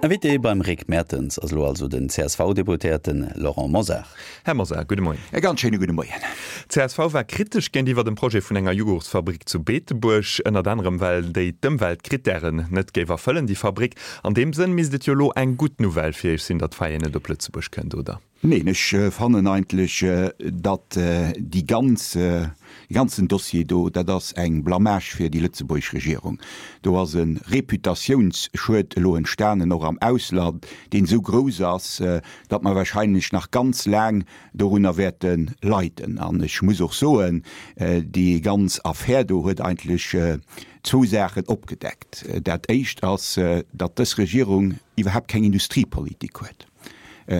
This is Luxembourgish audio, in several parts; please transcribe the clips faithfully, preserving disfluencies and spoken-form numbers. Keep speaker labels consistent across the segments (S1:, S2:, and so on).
S1: Invité beim Rick Mertens ass elo also den C S V-Deputéierten Laurent Mosar.
S2: Här Mosar, gudde Moien.
S3: E ganz schéine gudde Moien.
S2: C S V war kritesch géintiwwer dem Projet vun enger Jughurtsfabrik zu Beetebuerg, ënnert anerem well déi d'Ëmweltkrittären net géif erfëllen, déi Fabrik. An deem Sënn misst et jo elo eng gutt Nouvelle fir Iech sinn, datt Faye net op Lëtzebuerg kënnt, oder?
S3: Neen, ech fannen eigentlech, datt déi ganz, dee ganzen Dossier do, dat ass eng Blamage fir déi lëtzebuergesch Regierung. Do ass e Reputatiounsschued elo entstanen, och am Ausland, deen esou grouss ass, datt mer wahrscheinlech nach ganz laang dorunner wäerte leiden. An ech muss och soen, déi ganz Affär do huet eigentlech zwou Saachen opgedeckt. Dat Éischt ass, datt dës Regierung iwwerhaapt keng Industriepolitik huet.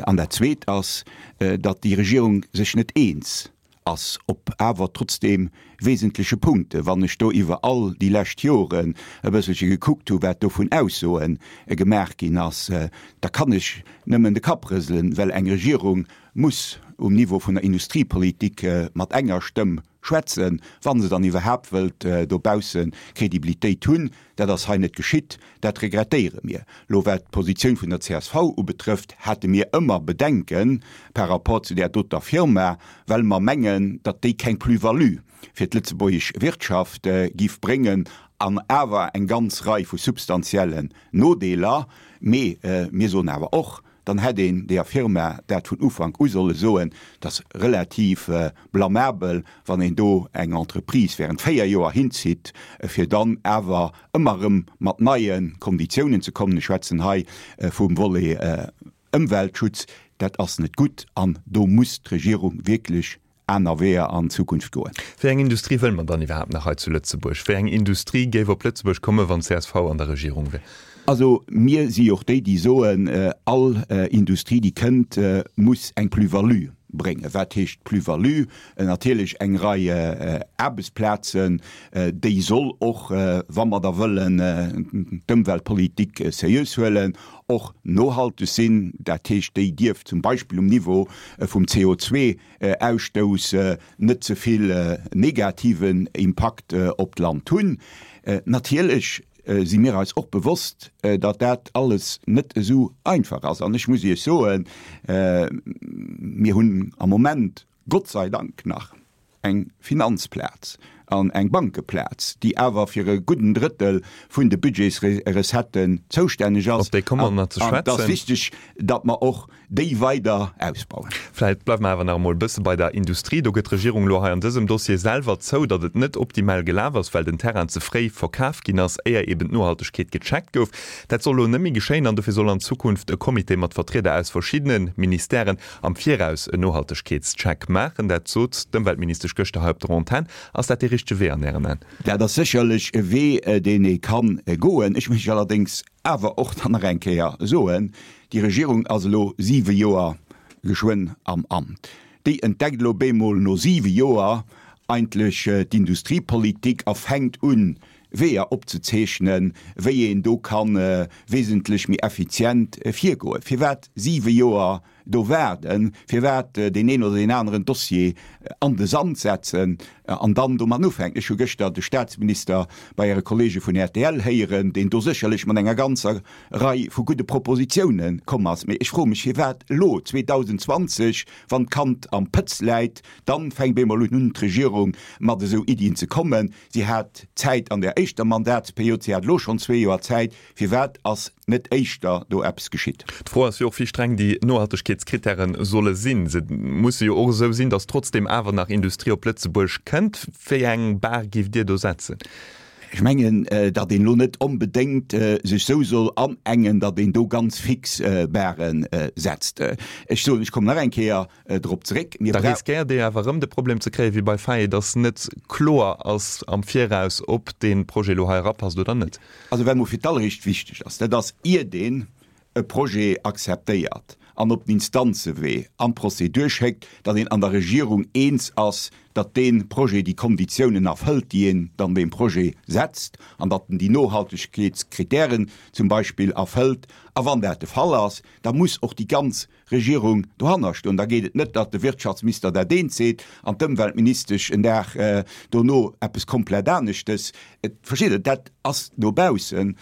S3: An dat Zweet ass, datt déi Regierung sech net eens ass op awer trotzdeem wesentleche Punkte. Wann ech do iwwer all déi lescht Joren e bësselche gekuckt hu wat do vun Aussoe gemaach ginn ass, da kann ech nëmmen de Kapp rëselen, well eng Regierung muss um Niveau vun der Industriepolitik mat enger Stëmm schwätzen, wa se dann iwwerhaapt wëllt dobausse Kredibilitéit hunn. Dat ass hei net geschitt. Dat regrettéiere mir. Elo wat d'Positioun vun der C S V ubetrëfft, hate mir ëmmer Bedenke par rapport zu där doter Firma, well mer mengen, datt déi keng Plus-value fir d'lëtzebuergesch Wirtschaft giff bréngen an awer eng ganz Rei vu substantiellen Nodeeler. Mee mir soen awer och, dann hätt een deeër Firma dat vun Ufank u solle soen. Et ass relativ blamabel, wann een do eng Entreprise während véier Joer hinzitt, fir dann awer ëmmer erëm mat neie Konditiounen ze kommen. Ech schwätzen hei vum Volet Ëmweltschutz. Dat ass net gutt an do muss d'Regierung wierklech aner Weeër an Zukunft goen.
S2: Wéi eng Industrie wëlle mer dann iwwerhaapt nach hei zu Lëtzebuerg? Wéi eng Industrie géif op Lëtzebuerg kommen, wann C S V an der Regierung wär?
S3: Also mir si och déi, déi soen, all Industrie, déi kënnt, muss eng Plus-value bréngen. Wat heescht Plus-value? Natierlech eng Rei Aarbechtsplazen, déi soll och, wa mer da wëllen d'Ëmweltpolitik seriös huelen, och nohalteg sinn. Dat heescht, déi dierf zum Beispill um Niveau vum C O zwee Ausstouss net ze vill negativen Impakt op d'Land hunn. Natierlech si mir eis och bewosst, datt dat alles net esou einfach ass. An ech muss Iech soen, mir hunn am Moment Gott sei Dank nach eng Finanzplaz an eng Bankeplaz, déi awer fir e gudden Drëttel vun de Budgetsrecetten zoustänneg ass.
S2: Op déi komme mer nach ze
S3: An et ass
S2: schwätzen.
S3: wichteg, datt mer och déi weider ausbauen.
S2: Vläicht bleiwe mer awer nach emol e bësse bei der Industrie. Do gëtt d'Regierung elo hei an dësem Dossier selwer zou, datt et net optimal gelaf ass, well den Terrain ze fréi verkaf ginn ass, éier eben d'Nohaltegkeet gecheckt gouf. Dat soll elo net méi geschéien an dofir soll an Zukunft e Comité mat Vertrieder aus verschiddene Ministèren am Viraus en Nohaltegkeetscheck maachen. Dat sot d'Ëmweltministesch gëschter hei op der Antenn. Ass dat dee richtege Wee an Ären Aen?
S3: Dat ass sécherlech e Wee, deen ee kann goen. Ech mécht allerdéngs awer och dann nach eng Kéier soen, déi Regierung ass elo siwe Joer geschwënn am Amt. Déi entdeckt elo bemol no siwe Joer eigentlech d'Industriepolitik a fänkt un, Weeër opzezeechnen, wéi een do ka wesentlech méi effizient virgoen. Firwat siwe Joer do waarden? Firwat deen een oder deen aneren Dossier an de Sand setzen an dann domat ufänken? Ech hu gëschter de Staatsminister bei Äre Kollege vun R T L héieren, deen do sécherlech mat enger ganzer Rei vu gudde Propositioune komm ass. Mee ech froe mech, firwat elo zweedausenzwanzeg, wann d'Kand am Pëtz läit, dann fänkt bemol un d'Regierung mat esou Iddien ze kommen. Si hat Zäit an der éischter Mandatsperiod, si hat elo schonn zwee Joer Zäit. Firwat ass net éischter do eppes geschitt?
S2: D'Fro ass jo och, wéi streng déi Nohaltegkeetskrittäre solle sinn. Se musse jo och esou sinn, datt trotzdeem awer nach Industrie op Lëtzebuerg kënnt. Wéi eng Bar géift Dir do setzen?
S3: Ech mengen, datt een elo net onbedéngt sech esou soll anengen, datt een do ganz fix Barë setzt. Ech soen, ech kommen nach eng Kéier drop zeréck, mir
S2: Da riskéiert Dir awer erëm de Problem ze kréien, wéi bei Faye, datt net kloer ass am Viraus, ob dee Projet elo hei erapasst oder net.
S3: Also wat emol fir d'alleréischt wichteg ass, dat ass, iert een e Projet akzeptéiert an op den Instanzewee an d'Prozedur schéckt, datt een an der Regierung eens ass datt dee Projet déi Konditiounen erfëllt, déi een dann deem Projet setzt, an datt en déi Nohaltegkeetskritären zum Beispill erfëllt. A wann dat de Fall ass, da muss och déi ganz Regierung dohanner stoen. Da geet et net, datt de Wirtschaftsminister dat eent seet an d'Ëmweltministesch en Dag dono eppes komplett aneschtes. Versteet Der, dat ass no baussen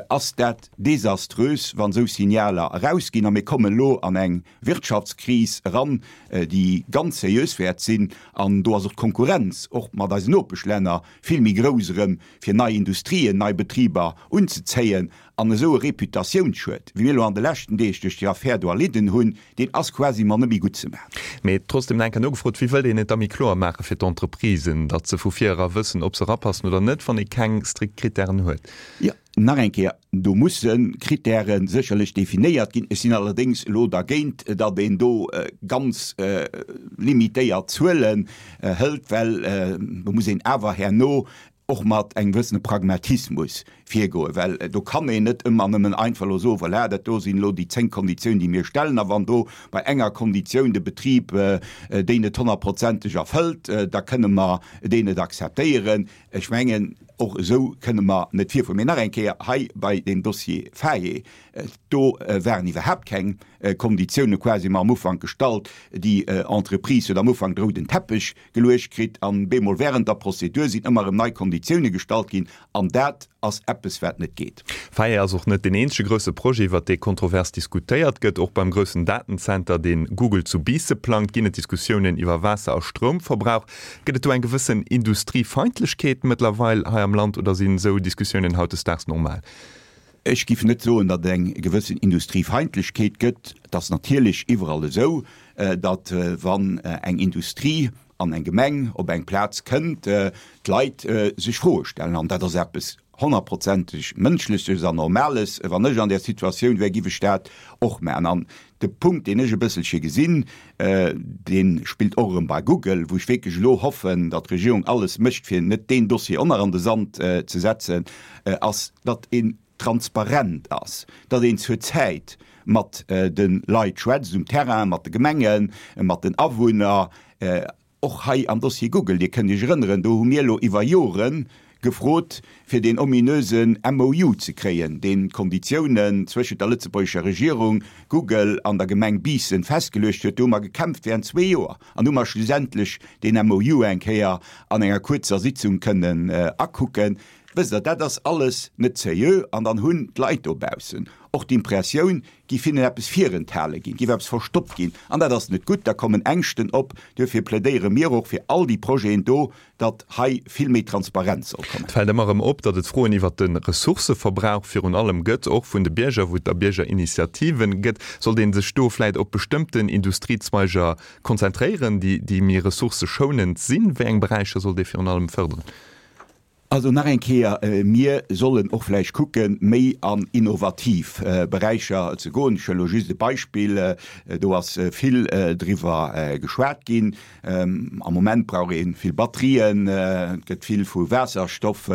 S3: ass dat desaströs, wann esou Signaler erausginn. A mir kommen elo an eng Wirtschaftskris eran, déi ganz seriös wäert sinn. An do ass och d'Konkurrenz, och mat eisen Nopeschlänner, vill méi grouss erëm, fir nei Industrien, nei Betriber unzezéien. An esou e Reputatiounsschued, wéi mir elo an de leschten Deeg duerch déi Affär do erlidden hunn, deen ass quasiment net méi gutt ze maachen.
S2: Mee trotzdem nach eng Kéier nogefrot, Wéi wëllt een et da méi kloer maache fir d'Entreprisen, datt se vu vir era wëssen, ob se erapassen oder net, wann ee keng strikt Krittären huet?
S3: Jo, nach eng Kéier, do musse Krittäre sécherlech definéiert ginn. Ech sinn allerdéngs elo dergéint, datt een do ganz limitéiert Zuelen hëlt, well do muss een awer herno och mat engem gewëssene Pragmatismus virgoen, well do kann een net ëmmer nëmmen einfach elo soen, voilà, dat do sinn elo déi zéng Konditiounen, déi mir stellen, a wann do bei enger Konditioun de Betrib déi net honnertprozenteg erfëllt, da kënne mer deen net akzeptéieren. Ech mengen, och esou kënne mer net virfueren. Mee nach eng Kéier, hei bei deem Dossier Faye, do waren iwwerhaapt keng Konditioune quasi mar am Ufank gestallt. Déi Entreprise huet am Ufank de rouden Teppech geluecht kritt an bemol während der Prozedur sinn ëmmer erëm nei Konditioune gestallt ginn an dat ass eppes wat net geet.
S2: Faye ass och net deen eenzege grousse Projet, iwwert dee kontrovers diskutéiert gëtt. Och beim groussen Datenzenter, dee Google zu Biisse plangt, ginn et Diskussiounen iwwer Waasser a Stroumverbrauch. Gëtt et do eng gewëssen Industriefeindlechkeet mëttlerweil hei am Land oder sinn esou Diskussiounen hautdesdaags normal?
S3: Ech giff net soen, datt et eng gewëssen Industriefeindlechkeet gëtt. Et ass natierlech iwwerall esou, datt wann eng Industrie an eng Gemeng op eng Plaz kënnt, d'Leit sech Froe stellen. An dat ass eppes honnertprozenteg Mënschleches an Normales. Wann ech an där Situatioun wär, giff ech dat och maachen. An de Punkt, deen ech e bësselche gesinn, dee spillt och erëm bei Google, wou ech wierklech elo hoffen, datt d'Regierung alles mécht, fir net deen Dossier och nach an de Sand ze setzen, ass, datt een transparent ass, datt een zur Zäit mat de Leit schwätzt um Terrain, mat de Gemengen, mat den Awunner. Och hei am Dossier Google, Dir kënnt Iech erënneren, do hu mir elo iwwer Jore gefrot, fir deen ominösen M O U ze kréien, deen d'Konditiounen zwëschent der lëtzebuergescher Regierung, Google an der Gemeng Biissen festgeluecht huet. Do hu mer gekämpft während zwee Joer an hu mer schlussendlech deen M O U eng Kéier an enger kuerzer Sitzung kënnen akucken. Wësst Der, dat ass alles net seriö an dann hunn d'Leit dobaussen och d'Impressioun, géif hinnen eppes virenthale ginn, géif eppes verstoppt ginn an dat ass net gutt. Da kommen Ängschten op. Duerfir plädéiere mir och fir all déi Projeten do, datt hei vill méi Transparenz soll kommen.
S2: Et fält ëmmer erëm op, datt et Froen iwwert de Ressourcëverbrauch virun allem gëtt, och vun de Bierger, wou et da Biergerinitiativen gëtt. Sollt ee sech do vläit op bestëmmten Industriezweiger konzentréieren, déi méi ressourcëschounend sinn? Wéi eng Beräicher sollt ee virun allem fërderen?
S3: Also nach eng Kéier, mir sollen och vläicht kucken, méi an innovativ Beräicher ze goen. Ech huelen elo just e Beispill, do ass vill driwwer geschwat ginn. Am Moment brauch ee vill Batterien, et gëtt vill vu Waasserstoff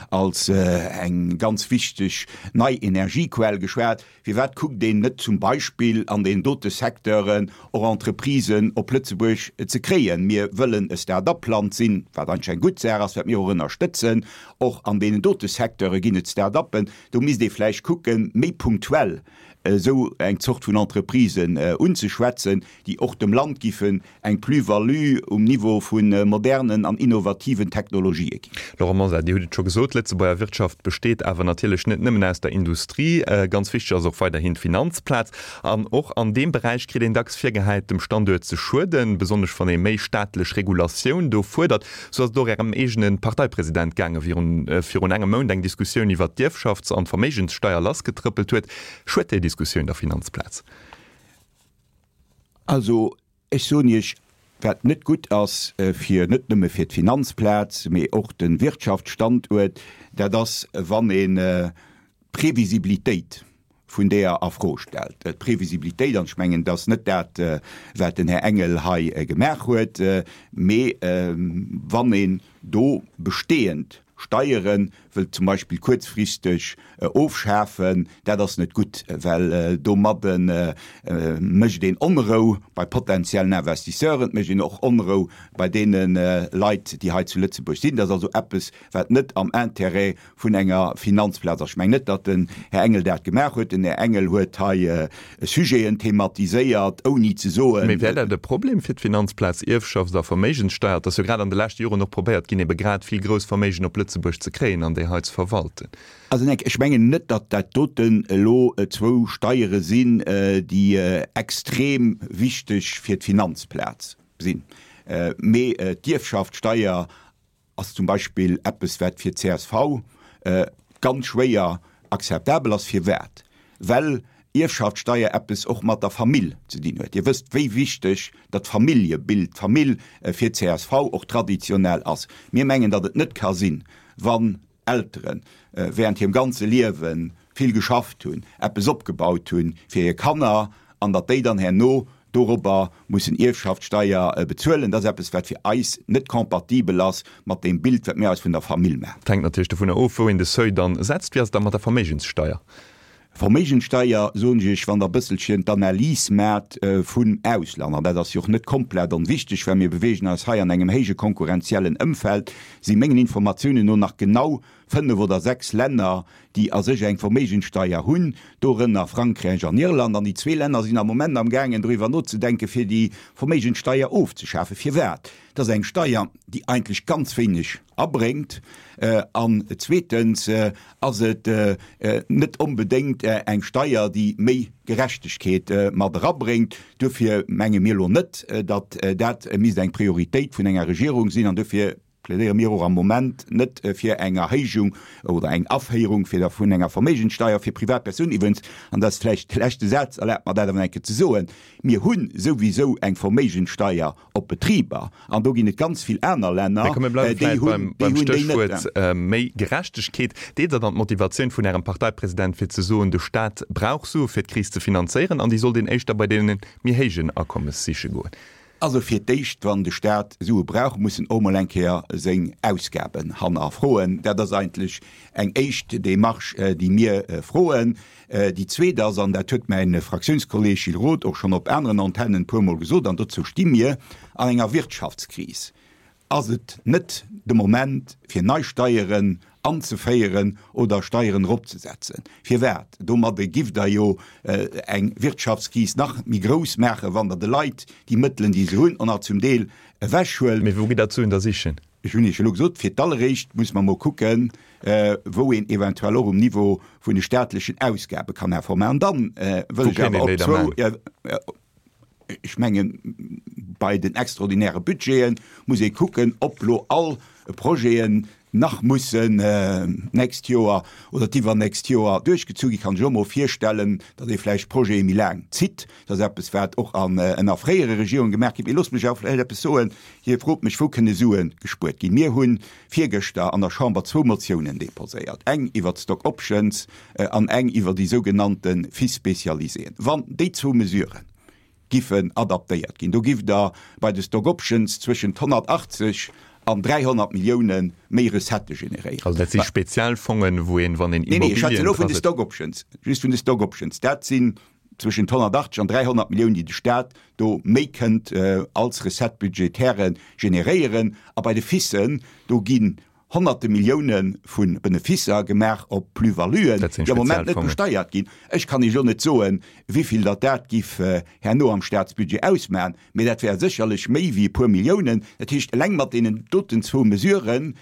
S3: als eng ganz wichteg nei Energiequell geschwat. Firwat kuckt een net zum Beispill an deenen dote Secteuren och Entreprisen op Lëtzebuerg ze kréien? Mir wëllen e Start-up-Land sinn, wat eigentlech eng gutt Saach ass, wat mir och ënnerstëtzen. Och an deenen dote Secteure ginn et Start-uppen. Do misst ee vläicht kucken, méi punktuell esou eng Zort vun Entreprisen unzeschwätzen, déi och dem Land giffen eng Plus-value um Niveau vu modernen an innovativen Technologië ginn.
S2: Laurent Mosar, Dir hutt et scho gesot, d'Lëtzebuerger Wirtschaft besteet awer natierlech net nëmmen aus der Industrie. Ganz wichteg ass och weiderhin d'Finanzplaz. An och an deem Beräich kritt een dacks virgehäit, dem Standuert ze schueden, besonnesch wann ee méi staatlech Regulatioun do fuerdert. Sou ass et och Ärem eegene Parteipresident gaangen, wéi virun engem Mount eng Diskussioun iwwert d'Ierfschafts an d'Verméigenssteier lassgetrëppelt huet. Schued déi Diskussioun der Finanzplaz?
S3: Also, ech soen Iech, wat net gutt ass fir, net nëmme fir d'Finanzplaz, mee och de Wirtschaftsstanduert, dat ass, wann een d'Previsibilitéit vun deeër a Fro stellt. D'Previsibilitéit, an ech mengen, dat ass net dat, wat den Här Engel hei gemaach huet, mee wann een do bestehend Steiere wëllt zum Beispill kuerzfristeg ofschafen, dat ass net gutt, well domadde mécht een Onrou bei potenziellen Investisseuren, et mécht een och Onrou bei deene Leit, déi hei zu Lëtzebuerg sinn. Dat ass also eppes, wat net am Intérêt vun enger Finanzplaz ass. Ech mengen net, datt den Här Engel dat gemaach huet. Den Här Engel huet hei Sujeten thematiséiert, ouni ze soen.
S2: Mee wär dat e Problem fir d'Finanzplaz, Ierfschafts a Verméigenssteier? Et ass jo grad an de leschte Joren och probéiert ginn, ebe grad vill grouss Verméigen op Lëtzebuerg ze kréien an déi hei ze verwalten.
S3: Also nek, ech mengen net, datt dat doten elo zwou Steiere sinn, déi extrem wichteg fir d'Finanzplaz sinn. Mee d'Ierfschaftssteier ass zum Beispill eppes, wat fir d'CSV ganz schwéier akzeptabel ass. Firwat? Well Ierfschaftssteier eppes och mat der Famill ze dinn huet. Dir wësst, wéi wichteg datt d'Familljebild, d'Famill fir d'CSV och traditionell ass. Mir mengen, datt et net ka sinn, wann Eltere während hirem ganze Liewe vill geschafft hunn, eppes opgebaut hunn fir hir Kanner, an datt déi dann herno dorobber mussen Ierfschaftssteier bezuelen. Dat ass eppes, wat fir eis net compatibel ass mat deem Bild, wat mir eis vun der Famill maachen.
S2: Et hänkt natierlech dovunner of, wou een de Seuil dann setzt. Wéi ass et da mat der Verméigenssteier?
S3: Verméigenssteier, soen ech Iech, wann Der e bësselchen d'Analys maacht vum Ausland, an dat ass jo och net komplett onwichteg, well mir beweegen eis hei an engem héije konkurrenziellen Ëmfeld, si mengen Informatiounen no nach genau fënnef oder sechs Länner, déi a sech eng Verméigenssteier hunn, dorënner Frankräich an Irland. An déi zwee Länner sinn am Moment amgaangen doriwwer nozedenken, fir déi Verméigenssteier ofzeschafen. Firwat? Dat ass eng Steier, déi eigentlech ganz wéineg abréngt. An zweetens ass et net onbedéngt eng Steier, déi méi Gerechtegkeet mat erabréngt. Duerfir menge mir elo net, datt dat misst eng Prioritéit vun enger Regierung sinn. An duerfir plädéiere mir och am Moment net fir eng Erhéijung oder eng Aféierung fir der vun enger Verméigenssteier fir Privatpersounen. Iwwregens, an dat ass vläicht de leschte Saz, erlaabt mer dat awer eng Kéier ze soen, Mir hu souwisou eng Verméigenssteier op Betriber an do ginn et ganz vill aner Länner,
S2: Mee komm, mir bleiwe
S3: déi
S2: vläicht
S3: hunn
S2: beim,
S3: déi
S2: beim
S3: hunn déi net.
S2: Stéchwuert méi Gerechtegkeet. Deelt Der dann d'Motivatioun vun Ärem Parteipresident fir ze soen, de Staat brauch Sue fir d'Kris ze finanzéieren an déi sollt een éischter bei deene méi héijen Akommes siche goen?
S3: Also fir d'éischt, wann de Staat Sue brauch, muss en och mol eng Kéier seng Ausgaben hannerfroen. Dat ass eigentlech eng éischt Démarche, déi mir froen. Déi zweet ass, an dat huet mäi Fraktiounskolleeg Gilles Roth och schonn op aneren Antennen e puermol gesot, an dozou sti mir, an enger Wirtschaftskris ass et net de Moment, fir nei Steieren anzeféieren oder Steieren eropzesetzen. Firwat? Domadde giff Der jo eng Wirtschaftskris nach méi grouss maachen, wann Der de Leit déi Mëttelen, déi se hunn, och nach zum Deel ewechhuelt.
S2: Mee wou gitt Der d'Suen da sichen?
S3: Ech hunn Iech elo gesot, fir d'alleréischt muss mer emol kucken, wou een eventuell och um Niveau vun de staatlechen Ausgabe kann Efforte maachen. An dann wëll
S2: Wou
S3: ech
S2: kéint
S3: awer
S2: een
S3: op
S2: déi da
S3: zwou,
S2: maachen?
S3: Ech mengen, bei den extraordinäre Budgete muss ee kucken, ob lo all Projeten nach mussen d'nächst Joer oder d'iwwernächst Joer duerchgezu ginn. Kann ech och mol virstellen, datt ee vläicht Projete méi laang zitt. Dat ass eppes, wat och an ënner fréiere Regierunge gemaach ginn. Mee loosst mech awer vläicht eppes soen. Dir frot mech, wou kënne Sue gespuert ginn. Mir hu virgëschter an der Chamber zwou Motiounen deposéiert, eng iwwert d'Stock Options an eng iwwer déi sougenannte Fiches spécialisées. Wann déi zwou Mesuren giffen adaptéiert ginn. Do giff Der bei de Stock Options zwëschent honnertachtzeg an dräihonnert Millioune méi Recettë generéieren.
S2: Also dat si speziell Fongen, wou een, wann een
S3: Nee, nee, ech schwätze
S2: Immobilien
S3: elo vun de
S2: dra sëtzt.
S3: Stock Options, just vun de Stock Options. Dat sinn zwëschent honnertachtzeg an dräihonnert Milliounen, déi de Stat do méi kënnt als Recette budgétaire generéieren. A bei de FICen, do ginn Honnerte Millioune vu Beneficer gemaach op Plus-valuen,
S2: Dat sinn
S3: déi am Moment net
S2: Spezialfongen.
S3: besteiert ginn. Ech kann Iech elo net soen, wivill datt dat giff herno am Staatsbudget ausmachen, mee dat wär sécherlech méi wéi e puer Milliounen. Dat heescht, eleng mat deenen doten zwou Mesurë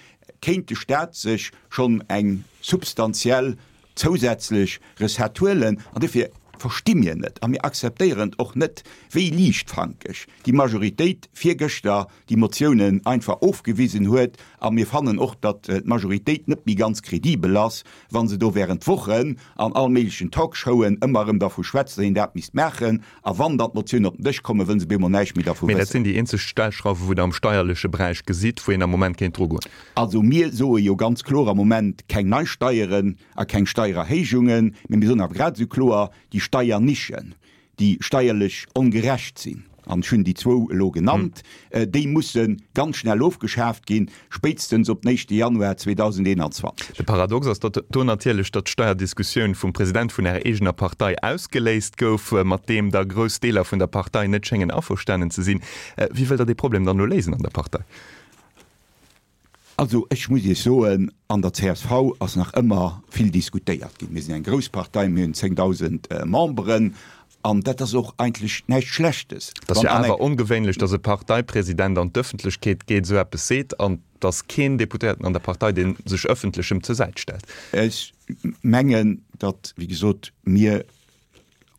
S3: kéint de Staat sech schonn eng substantiell zousätzlech Recette huelen. An dofir versti mir net a mir akzeptéieren och net, wéi liichtfankeg déi Majoritéit virgëschter déi Motiounen einfach ofgewisen huet. A mir fannen och, datt d'Majoritéit net méi ganz kredibel ass, wa se do während Wochen an all méiglechen Talkshowen ëmmer erëm dervu schwätzt, datt een dat misst maachen. A wann dann d'Motiounen op den Dësch kommen, wëllen se bemol näischt méi dervu
S2: Mee dat
S3: wëssen.
S2: sinn déi eenzeg Stellschrauwen, wou Der am steierleche Beräich gesitt, wou een am Moment kéint drugoen.
S3: Also mir soe jo ganz kloer am Moment keng nei Steieren a keng Steiererhéijungen, mee mir soen awer grad esou kloer, déi Steiernischen, déi steierlech ongerecht sinn, an ech hunn déi zwou elo genannt, déi musse ganz schnell ofgeschaaft ginn, spéitstens op den éischte Januar zweedausendeenanzwanzeg.
S2: De Paradox ass datt do natierlech, datt d'Steierdiskussioun vum President vun Ärer eegener Partei ausgeléist gouf, mat deem da grouss Deeler vun der Partei net schéngen averstanen ze sinn. Wéi wëllt Der dee Problem dann elo léisen an der Partei?
S3: Also ech muss Iech soen, an der C S V ass nach ëmmer vill diskutéiert ginn. Mir sinn eng grouss Partei, mir hunn zéngdausend Memberen an dat ass och eigentlech näischt Schlechtes.
S2: Et ass jo awer ongewéinlech, datt e Parteipresident an d'Ëffentlechkeet geet, esou eppes seet an datt keen Deputéierten an der Partei, dee sech ëffentlech em zur Säit stellt.
S3: Ech mengen, datt, wéi gesot, mir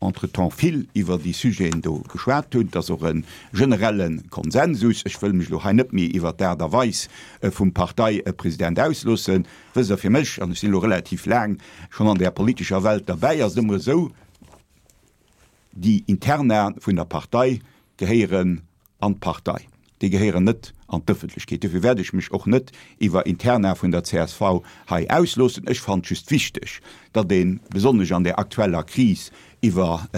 S3: entretemps vill iwwer déi Sujeten do geschwat hunn. Et ass och e generelle Konsensus. Ech wëll mech elo hei net méi iwwer d'Aart a Weis vum Parteipresident ausloossen. Wësst Der, fir mech, an ech sinn elo relativ laang schonn an där politescher Welt derbäi, ass et ëmmer esou, Déi Interna vun der Partei gehéieren an d'Partei, déi gehéieren net an d'Ëffentlechkeet. Dofir wäert ech mech och net iwwer Interna vun der C S V hei ausloossen. Ech fannen et just wichteg, datt ee besonnesch an där aktueller Kris iwwer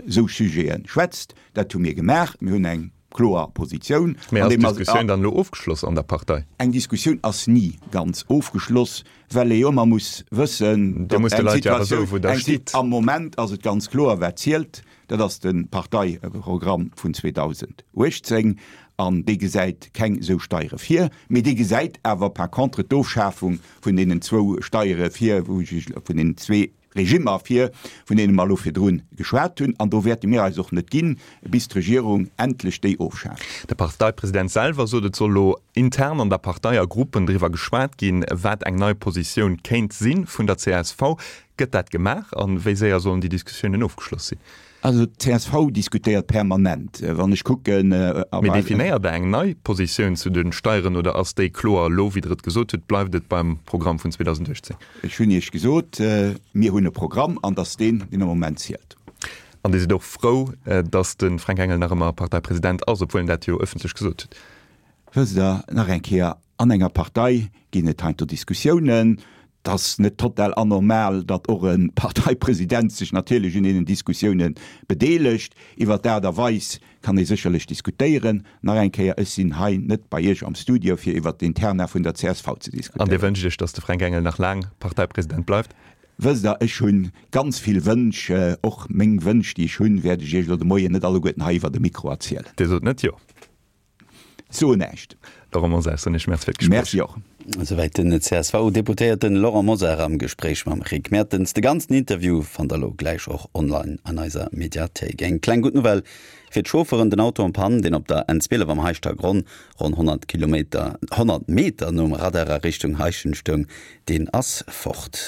S3: esou Sujete schwätzt. Dat hu mir gemaach. Mir hunn eng kloer Positioun.
S2: Mee ass d'Diskussioun dann elo ofgeschloss an der Partei?
S3: Eng Diskussioun ass ni ganz ofgeschloss, well ee jo ëmmer muss wëssen,
S2: Dir musst de Leit jo awer soen, wou Der stitt.
S3: Am Moment ass et ganz kloer, wat zielt, dat ass de Parteiprogramm vun zweedausenduechtzéng an dee gesäit keng esou Steiere vir, mee dee gesäit awer par contre d'Ofschafung vun deenen zwou Steiere vir, wou ech vun deenen zwee Regimmer vir, vun deene mer elo virdru geschwat hunn, an do wäerte mir eis och net ginn, bis d'Regierung endlech déi ofschaaft.
S2: De Parteipresident selwer sot, et soll elo intern an der Partei a Gruppen driwwer geschwat ginn, wat eng nei Positioun kéint si vun der C S V. Gëtt dat gemaach a wéi séier sollen déi Diskussiounen ofgeschloss sinn?
S3: Also d'C S V diskutéiert permanent. Wann ech kucken
S2: a Mee definéiert Der eng nei Positioun zu de Steieren oder ass déi kloer elo, wéi Der et gesot hutt, bleift et beim Programm vun zweedausenduechtzéng?
S3: Ech hunn Iech gesot, mir hunn e Programm an dass deen, deen am Moment zielt.
S2: An Dir sidd och frou, dass de Fränk Engel nach ëmmer Parteipresident ass, obwuel en dat jo ëffentlech gesot huet?
S3: Wësst Der, nach eng Kéier, an enger Partei ginn et heiansdo Diskussiounen. Et ass net total anormal, datt och e Parteipresident sech natierlech un deenen Diskussioune bedeelegt. Iwwer d'Aart a Weis kann ee sécherlech diskutéieren. Nach eng Kéier, ech sinn hei net bei Iech am Studio, fir iwwer d'Interna vun der C S V ze
S2: An Dir
S3: diskutéieren.
S2: wënscht Iech, datt de Fränk Engel nach laang Parteipresident bleift?
S3: Wësst Der, ech hu ganz vill Wënsch. Och meng Wënsch, déi ech hunn, wäert ech Iech elo de Moien net alleguerten hei iwwer de Mikro erzielen.
S2: Dir sot net Jo?
S3: Soen näischt.
S2: Laurent Mosar, soen ech Merci fir d'Gespréich.
S3: Merci och.
S1: Esouwäit den C S V-Deputéierten Laurent Mosar am Gespréich mam Rick Mertens. De ganzen Interview fannt der elo gläich och online an eiser Mediathéik. Eng kleng gutt Nouvelle fir d'Chaufferen, Den Auto en panne, deen op der N zwielef am Heischtergronn, ronn honnert Kilometer, honnert Meter nom Radar a Richtung Heischent stoung, deen ass fort.